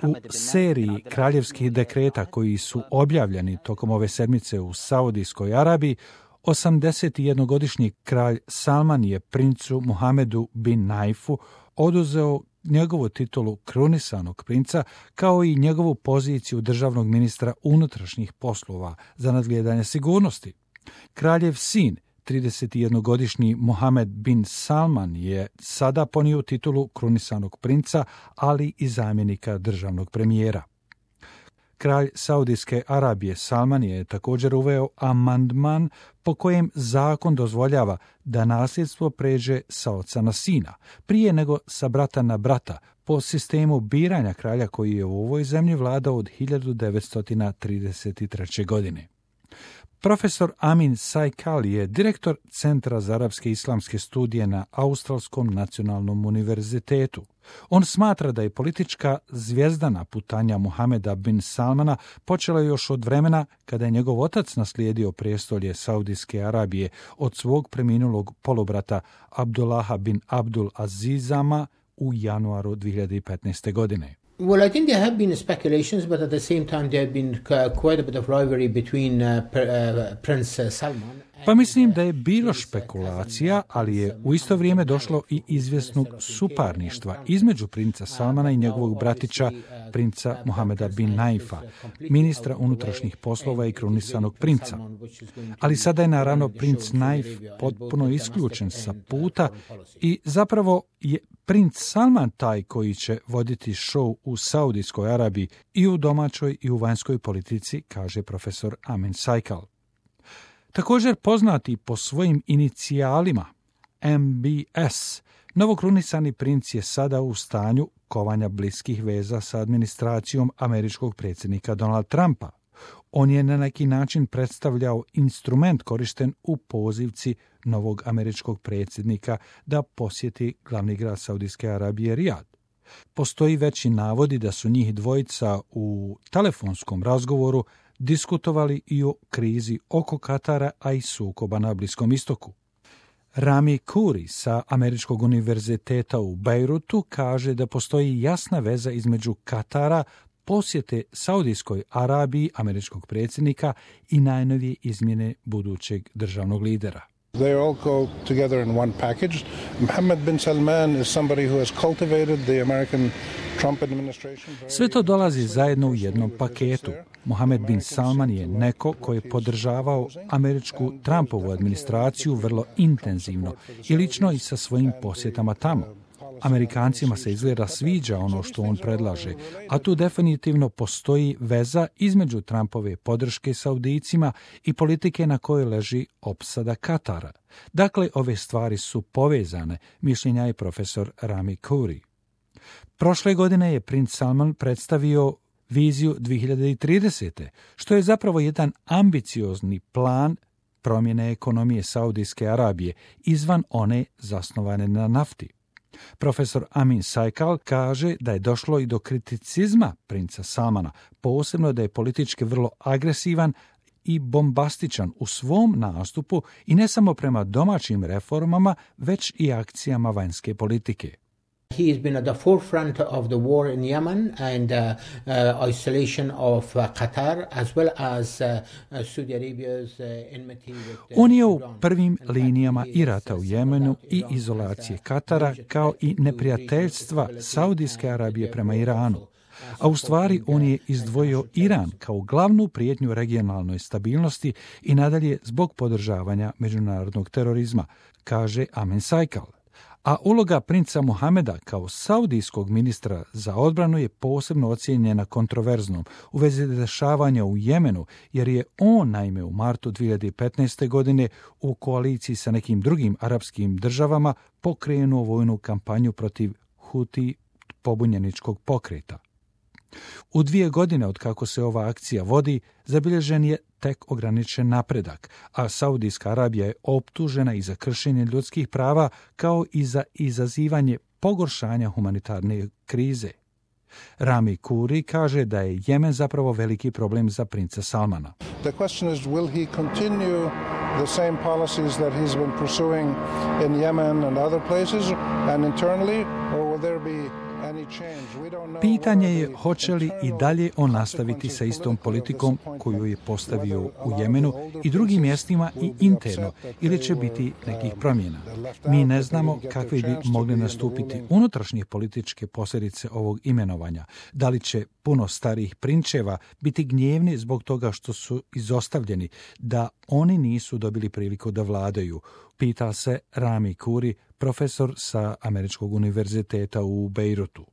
U seriji kraljevskih dekreta koji su objavljeni tokom ove sedmice u Saudijskoj Arabiji, 81-godišnji kralj Salman je princu Muhamedu bin Naifu oduzeo njegovu titulu krunisanog princa, kao i njegovu poziciju državnog ministra unutrašnjih poslova za nadgledanje sigurnosti. Kraljev sin, 31-godišnji Mohamed bin Salman, je sada ponio titulu krunisanog princa, ali i zamjenika državnog premijera. Kralj Saudijske Arabije Salman je također uveo amandman po kojem zakon dozvoljava da nasljedstvo pređe sa oca na sina, prije nego sa brata na brata, po sistemu biranja kralja koji je u ovoj zemlji vladao od 1933. godine. Profesor Amin Saikal je direktor Centra za arapske i islamske studije na Australskom nacionalnom univerzitetu. On smatra da je politička zvijezdana putanja Muhameda bin Salmana počela još od vremena kada je njegov otac naslijedio prijestolje Saudijske Arabije od svog preminulog polubrata Abdullaha bin Abdul Azizama u januaru 2015. godine. Well, I think there have been speculations, but at the same time there have been quite a bit of rivalry between Prince Salman. Pa mislim da je bilo špekulacija, ali je u isto vrijeme došlo i izvjesnog suparništva između princa Salmana i njegovog bratića, princa Mohameda bin Naifa, ministra unutrašnjih poslova i krunisanog princa. Ali sada je naravno princ Naif potpuno isključen sa puta i zapravo je princ Salman taj koji će voditi show u Saudijskoj Arabiji i u domaćoj i u vanjskoj politici, kaže profesor Amin Saikal. Također poznati po svojim inicijalima MBS, novokrunisani princ je sada u stanju kovanja bliskih veza sa administracijom američkog predsjednika Donald Trumpa. On je na neki način predstavljao instrument korišten u pozivci novog američkog predsjednika da posjeti glavni grad Saudijske Arabije Rijad. Postoji veći navodi da su njih dvojica u telefonskom razgovoru diskutovali i o krizi oko Katara, a i sukoba na Bliskom istoku. Rami Kuri sa Američkog univerziteta u Bejrutu kaže da postoji jasna veza između Katara, posjete Saudijskoj Arabiji američkog predsjednika i najnovije izmjene budućeg državnog lidera. They all go together in one package. Mohammed bin Salman is somebody who has cultivated the American Trump administration. Sve to dolazi zajedno u jednom paketu. Mohamed bin Salman je neko koji je podržavao američku Trumpovu administraciju vrlo intenzivno i lično i sa svojim posjetama tamo. Amerikancima se izgleda sviđa ono što on predlaže, a tu definitivno postoji veza između Trumpove podrške Saudijcima i politike na kojoj leži opsada Katara. Dakle, ove stvari su povezane, mišljenja je profesor Rami Kuri. Prošle godine je princ Salman predstavio viziju 2030. što je zapravo jedan ambiciozni plan promjene ekonomije Saudijske Arabije izvan one zasnovane na nafti. Profesor Amin Saikal kaže da je došlo i do kriticizma princa Salmana, posebno da je politički vrlo agresivan i bombastičan u svom nastupu i ne samo prema domaćim reformama, već i akcijama vanjske politike. He has been at the forefront of the war in Yemen and isolation of Qatar, as well as Saudi Arabia's enmity with On je u prvim linijama i rata u Jemenu i izolacije Katara, kao i neprijateljstva Saudijske Arabije prema Iranu. A u stvari on je izdvojio Iran kao glavnu prijetnju regionalnoj stabilnosti i nadalje zbog podržavanja međunarodnog terorizma, kaže Amin Saikal. A uloga princa Muhameda kao saudijskog ministra za odbranu je posebno ocijenjena kontroverznom u vezi dešavanja u Jemenu, jer je on naime u martu 2015. godine u koaliciji sa nekim drugim arapskim državama pokrenuo vojnu kampanju protiv Huti pobunjeničkog pokreta. U 2 godine od kako se ova akcija vodi, zabilježen je tek ograničen napredak, a Saudijska Arabija je optužena i za kršenje ljudskih prava kao i za izazivanje pogoršanja humanitarne krize. Rami Kuri kaže da je Jemen zapravo veliki problem za princa Salmana. The question is, will he continue the same policies that he's been pursuing in Yemen and other places and internally, or will there be Pitanje je hoće li i dalje on nastaviti sa istom politikom koju je postavio u Jemenu i drugim mjestima i interno, ili će biti nekih promjena. Mi ne znamo kakve bi mogle nastupiti unutrašnje političke posljedice ovog imenovanja. Da li će puno starijih prinčeva biti gnjevni zbog toga što su izostavljeni, da oni nisu dobili priliku da vladaju, pita se Rami Kuri, profesor sa Američkog univerziteta u Bejrutu.